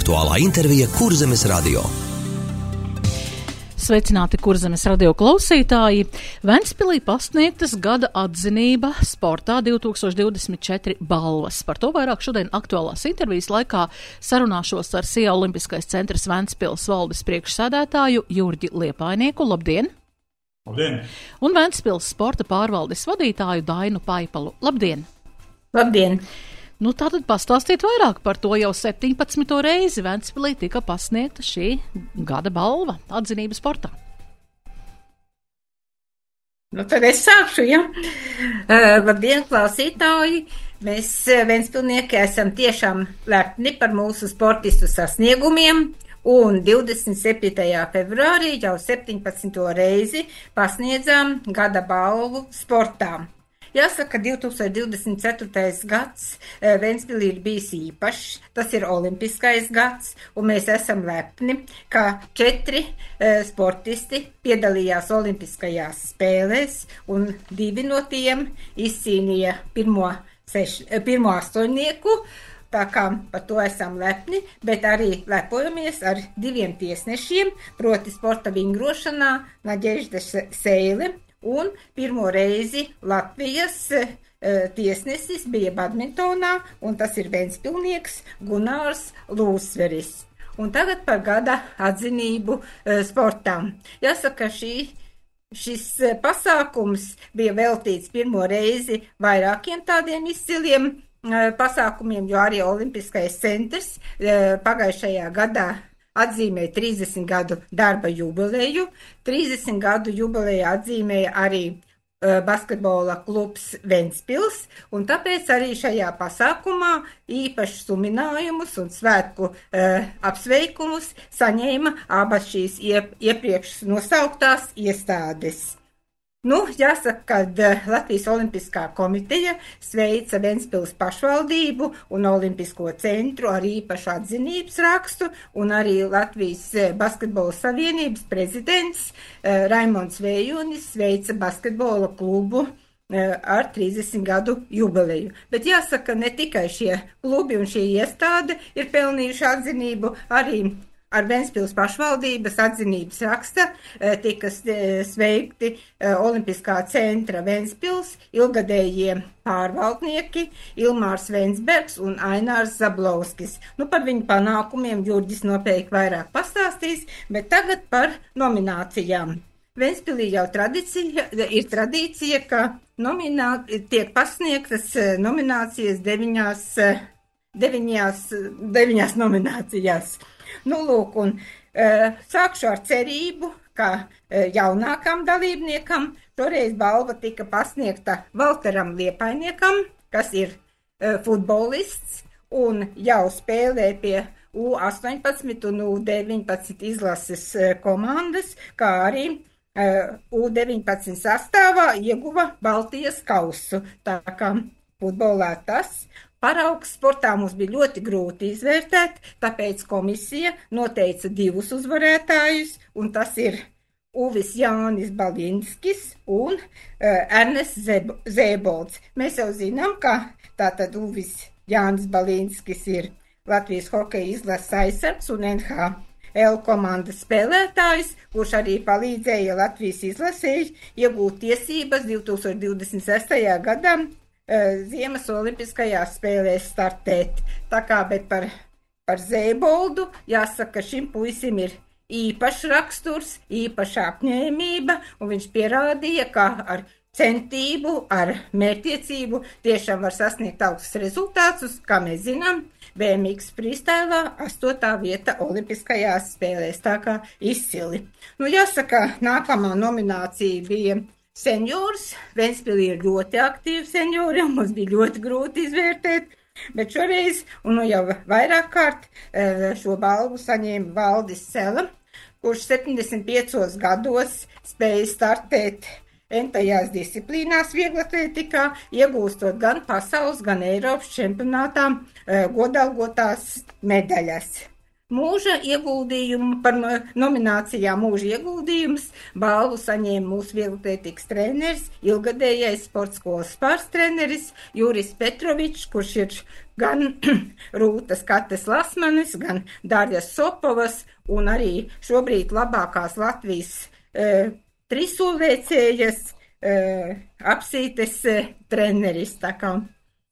Aktuālā intervija Kurzemes radio. Sveicināti Kurzemes radio klausītāji! Ventspilī pasniegtas gada atzinība sportā 2024 balvas. Par to vairāk šodien aktuālās intervijas laikā sarunāšos ar SIA Olimpiskais centrs Ventspils valdes priekšsēdētāju Jurģi Liepainieku. Labdien! Labdien! Un Ventspils sporta pārvaldes vadītāju Dainu Paipalu. Labdien! Labdien! Nu, tātad pastāstiet vairāk par to. Jau 17. reizi Ventspilī tika pasniegta šī gada balva atzinība sportā. Nu, tad es sākšu, ja? Labdien, klausītāji! Mēs ventspilnieki esam tiešām lepni par mūsu sportistu sasniegumiem. Un 27. februārī jau 17. reizi pasniedzām gada balvu sportā. Jāsaka, 2024. gads Ventspilī ir bijis īpašs, tas ir olimpiskais gads, un mēs esam lepni, ka 4 sportisti piedalījās olimpiskajās spēlēs, un 2 no tiem izcīnīja pirmo astoņnieku. Tā kā par to esam lepni, bet arī lepojamies ar 2 tiesnešiem, proti sporta vingrošanā Nadežda Seile. Un pirmo reizi Latvijas tiesnesis bija badmintonā, un tas ir ventspilnieks Gunārs Lūsveris. Un tagad par gada atzinību sportām. Jāsaka, šis pasākums bija veltīts pirmo reizi vairākiem tādiem izciliem pasākumiem, jo arī Olimpiskais centrs pagājušajā gadā atzīmēja 30 gadu darba jubileju. 30 gadu jubileju atzīmēja arī basketbola klubs Ventspils, un tāpēc arī šajā pasākumā īpašus suminājumus un svētku apsveikumus saņēma abas šīs iepriekš nosauktās iestādes. Nu, jāsaka, ka Latvijas Olimpiskā komiteja sveica Ventspils pašvaldību un Olimpisko centru ar īpašu atzinības rakstu, un arī Latvijas basketbola savienības prezidents Raimonds Vējunis sveica basketbola klubu ar 30 gadu jubileju. Bet jāsaka, ne tikai šie klubi un šī iestāde ir pelnījuši atzinību, arī ar Ventspils pašvaldības atzinības raksta tika sveikti Olimpiskā centra Ventspils ilgadējie pārvaldnieki Ilmārs Vensbergs un Ainārs Zablovskis. Nu, par viņu panākumiem Jurģis noteikti vairāk pastāstīs, bet tagad par nominācijām. Ventspilī jau ir tradīcija, ka tiek pasniegtas nominācijas 9 nominācijās. Nu, lūk, un sākšu ar cerību, ka jaunākam dalībniekam toreiz balva tika pasniegta Valteram Liepainiekam, kas ir futbolists un jau spēlē pie U18 un U19 izlases komandas, kā arī U19 sastāvā ieguva Baltijas kausu. Tā kā futbolā tas. Paraugs sportā mums bija ļoti grūti izvērtēt, tāpēc komisija noteica 2 uzvarētājus, un tas ir Uvis Jānis Balinskis un Ernests Zēbolds. Mēs jau zinām, ka tātad Uvis Jānis Balinskis ir Latvijas hokeja izlases aizsargs un NHL komandas spēlētājs, kurš arī palīdzēja Latvijas izlasēji iegūt tiesības 2026. gadā Ziemas olimpiskajās spēlēs startēt. Tā kā, bet par Zēboldu jāsaka, šim puisim ir īpašs raksturs, īpaša apņēmība, un viņš pierādīja, ka ar centību, ar mērķtiecību tiešām var sasniegt augstus rezultātus, kā mēs zinām, BMX freestylā 8. vieta olimpiskajās spēlēs, tā kā izcili. Nu, jāsaka, nākamā nominācija bija seniors. Ventspilī ir ļoti aktīvi seniori, un mums bija ļoti grūti izvērtēt, bet šoreiz, un jau vairāk kārt, šo balvu saņēma Valdis Sela, kurš 75 gados spēja startēt entajās disciplīnās vieglatlētikā, iegūstot gan pasaules, gan Eiropas čempionātā godalgotās medaļas. Mūža ieguldījumu par nominācijām mūža ieguldījums balvu saņēma mūsu vieglatlētikas treneris, ilgadējais sporta skolas pārstreneris Juris Petrovičs, kurš ir gan Rūtas Kates Lasmanis, gan Darjas Sopovas un arī šobrīd labākās Latvijas trisulvēcējas apsītes treneris. Tā kā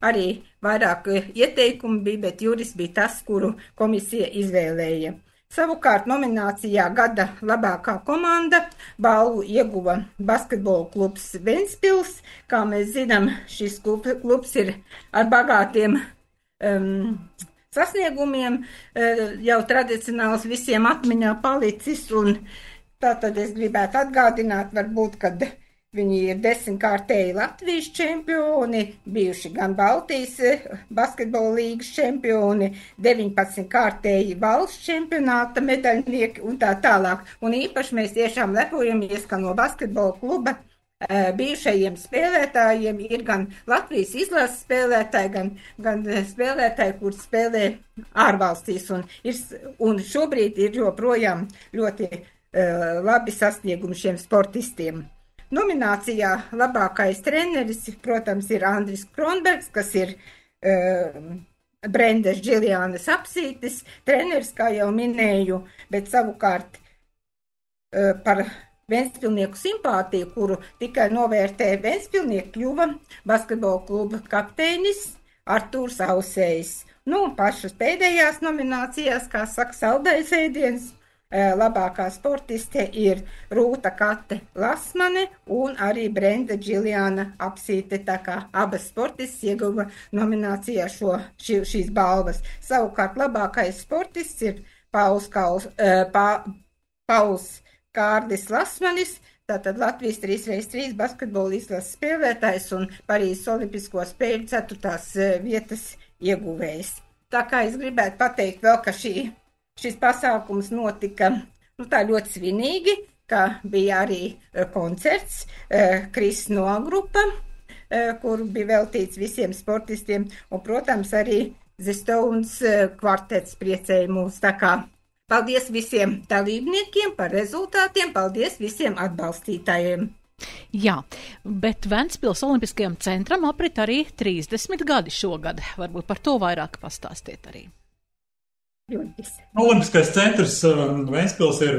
arī vairāk ieteikumu bija, bet Juris bija tas, kuru komisija izvēlēja. Savukārt nominācijā gada labākā komanda balvu ieguva basketbola klubs Ventspils. Kā mēs zinām, šis klubs ir ar bagātiem sasniegumiem, jau tradicionāls visiem atmiņā palicis, un tātad es gribētu atgādināt, varbūt, kad viņi ir 10-kārtēji Latvijas čempioni, bijuši gan Baltijas basketbola līgas čempioni, 19-kārtēji valsts čempionāta medaļnieki un tā tālāk. Un īpaši mēs tiešām lepojamies, ka no basketbola kluba bijušajiem spēlētājiem ir gan Latvijas izlases spēlētāji, gan spēlētāji, kur spēlē ārvalstīs. Un šobrīd ir joprojām ļoti labi sasniegumi šiem sportistiem. Nominācijā labākais treneris, protams, ir Andris Kronbergs, kas ir Brendas Džiljānas apsītes treneris, kā jau minēju, bet savukārt par Ventspilnieku simpātiju, kuru tikai novērtē Ventspilnieki, kļuva basketbola kluba kapteinis Artūrs Ausējs. Nu, pašas pēdējās nominācijās, kā saka, saldais ēdiens, labākā sportiste ir Rūta Kate Lasmane un arī Brenda Džiljāna apsīte, tā kā abas sportistes ieguva nominācijā šīs balvas. Savukārt labākais sportists ir Pauls Kārdis Lasmanis, tātad Latvijas 3x3 basketbola izlases spēlētājs un Parīzes olimpisko spēļu 4. vietas ieguvējs. Tā kā es gribētu pateikt vēl, ka šis pasākums notika tā ļoti svinīgi, ka bija arī koncerts Kris Noa grupa, kur bija veltīts visiem sportistiem, un, protams, arī The Stones kvartets priecēja mūs. Tā kā paldies visiem dalībniekiem par rezultātiem, paldies visiem atbalstītājiem. Jā, bet Ventspils Olimpiskajam centram aprit arī 30 gadi šogad. Varbūt par to vairāk pastāstiet arī. Olimpiskais centrs Ventspils ir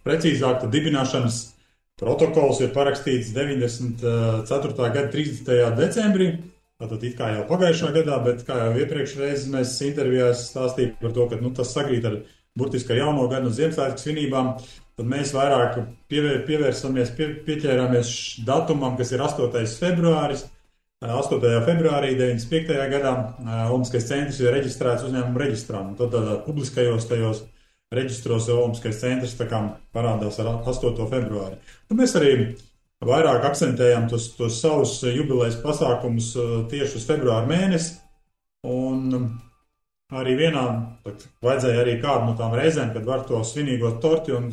precīzāk, dibināšanas protokols ir parakstīts 94. gada 30. decembrī. Tātad it kā jau pagājušā gadā, bet kā jau iepriekšreiz mēs intervijās stāstījām par to, ka tas sakrīt ar burtiski ar jauno gadu un Ziemassvētku svinībām, tad mēs vairāk pieķērāmies datumam, kas ir 8. februāris. 8. februārī 95. gadā Olimpiskais centrs ir reģistrēts uzņēmumu reģistrā. Tad publiskajos tajos reģistros Olimpiskais centrs tā kā parādās ar 8. februāri. Tad mēs arī vairāk akcentējam tos savus jubilejas pasākumus tieši uz februāra mēnesi. Un arī vajadzēja arī kādu no tām reizēm, kad var to svinīgo torti un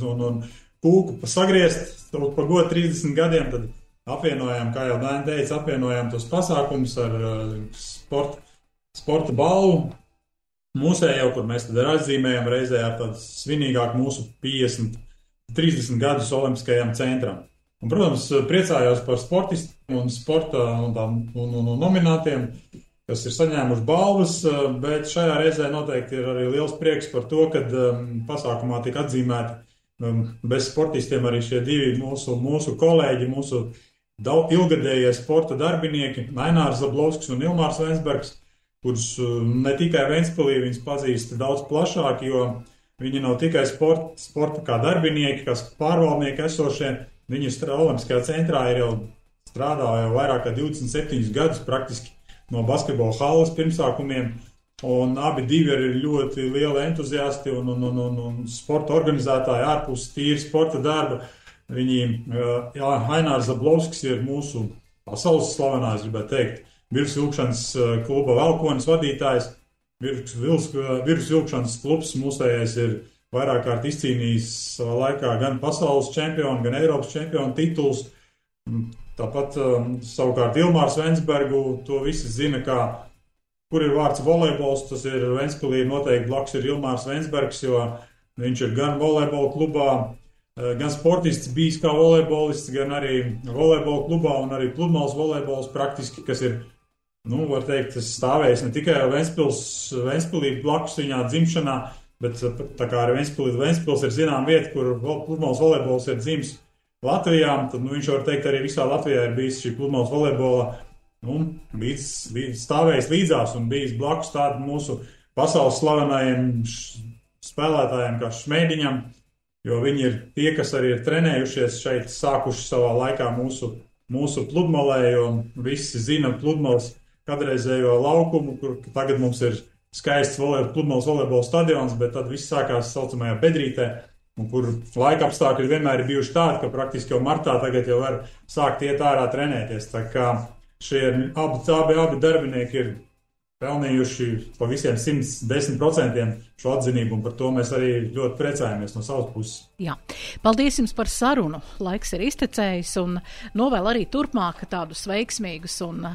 kūku sagriezt pa godu 30 gadiem, tad apvienojām, kā jau Dēna teica, apvienojām tos pasākumus ar sporta balvu mūsējo, kur mēs tad atzīmējam reizē ar tādu svinīgāku mūsu 30 gadus Olimpiskajam centram. Un, protams, priecājos par sportistiem un sporta un nominātiem, kas ir saņēmuši balvas, bet šajā reizē noteikti ir arī liels prieks par to, ka pasākumā tika atzīmēti bez sportistiem arī šie divi mūsu kolēģi, mūsu ilgadējie sporta darbinieki, Ainārs Zablovskis un Ilmārs Vensbergs, kurus ne tikai Ventspilī viņus pazīst daudz plašāk, jo viņi nav tikai sporta kā darbinieki, kā pārvaldnieki esošie. Viņi Olimpiskajā centrā ir jau strādāja jau vairāk kā 27 gadus praktiski no basketbola halles pirmsākumiem, un abi divi ir ļoti lieli entuziasti un sporta organizētāji ārpus tīri sporta darba. Ainārs Zablovskis ir mūsu pasaules slavenās, gribētu teikt, virsvilkšanas kluba Valkonis vadītājs. Virsvilkšanas klubs mūsējais ir vairāk kārt izcīnījis savā laikā gan pasaules čempionu, gan Eiropas čempionu tituls. Tāpat savukārt Ilmārs Vensbergu, to visi zina, kur ir vārds volejbols, tas ir Ventspilī noteikti blakus ir Ilmārs Vensbergs, jo viņš ir gan volejbola klubā, gan sportists bijis kā volejbolists, gan arī volejbola klubā un arī pludmales volejbols praktiski, kas ir var teikt, es stāvējis ne tikai Ventspilī blakus viņā dzimšanā, bet tā kā arī Ventspils ir zinām vieta, kur pludmales volejbols ir dzimis Latvijā, tad viņš var teikt arī visā Latvijā ir bijis šī pludmales volejbola stāvējis līdzās un bijis blakus tādu mūsu pasaules slavenajiem spēlētājiem kā Šmēdiņam, jo viņi ir tie, kas arī ir trenējušies šeit, sākuši savā laikā mūsu pludmalē, jo visi zina pludmales kādreizējo laukumu, kur tagad mums ir skaists pludmales volejbola stadions, bet tad viss sākās saucamajā Bedrītē, un kur laika apstākļi vienmēr ir bijuši tādi, ka praktiski jau martā tagad jau var sākt iet ārā trenēties. Tā kā šie abi darbinieki ir pelnījuši pa visiem 110% šo atzinību, un par to mēs arī ļoti priecājamies no savas puses. Jā. Paldies jums par sarunu. Laiks ir iztecējis, un novēl arī turpmāk tādus veiksmīgus un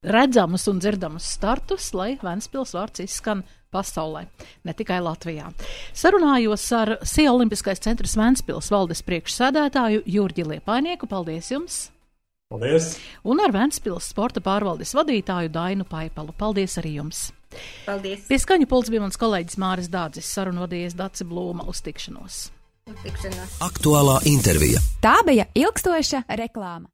redzamus un dzirdamus startus, lai Ventspils vārds izskan pasaulē, ne tikai Latvijā. Sarunājos ar SIA Olimpiskais centrs Ventspils valdes priekšsēdētāju Jurģi Liepainieku. Paldies jums! Paldies! Un ar Ventspils sporta pārvaldes vadītāju Dainu Paipalu. Paldies arī jums! Paldies! Pie skaņu pults bija mans kolēģis Māris Dādzis, sarunvadījies Dace Blūma. Uz tikšanos! Aktuālā intervija. Tā bija ilgstoša reklāma.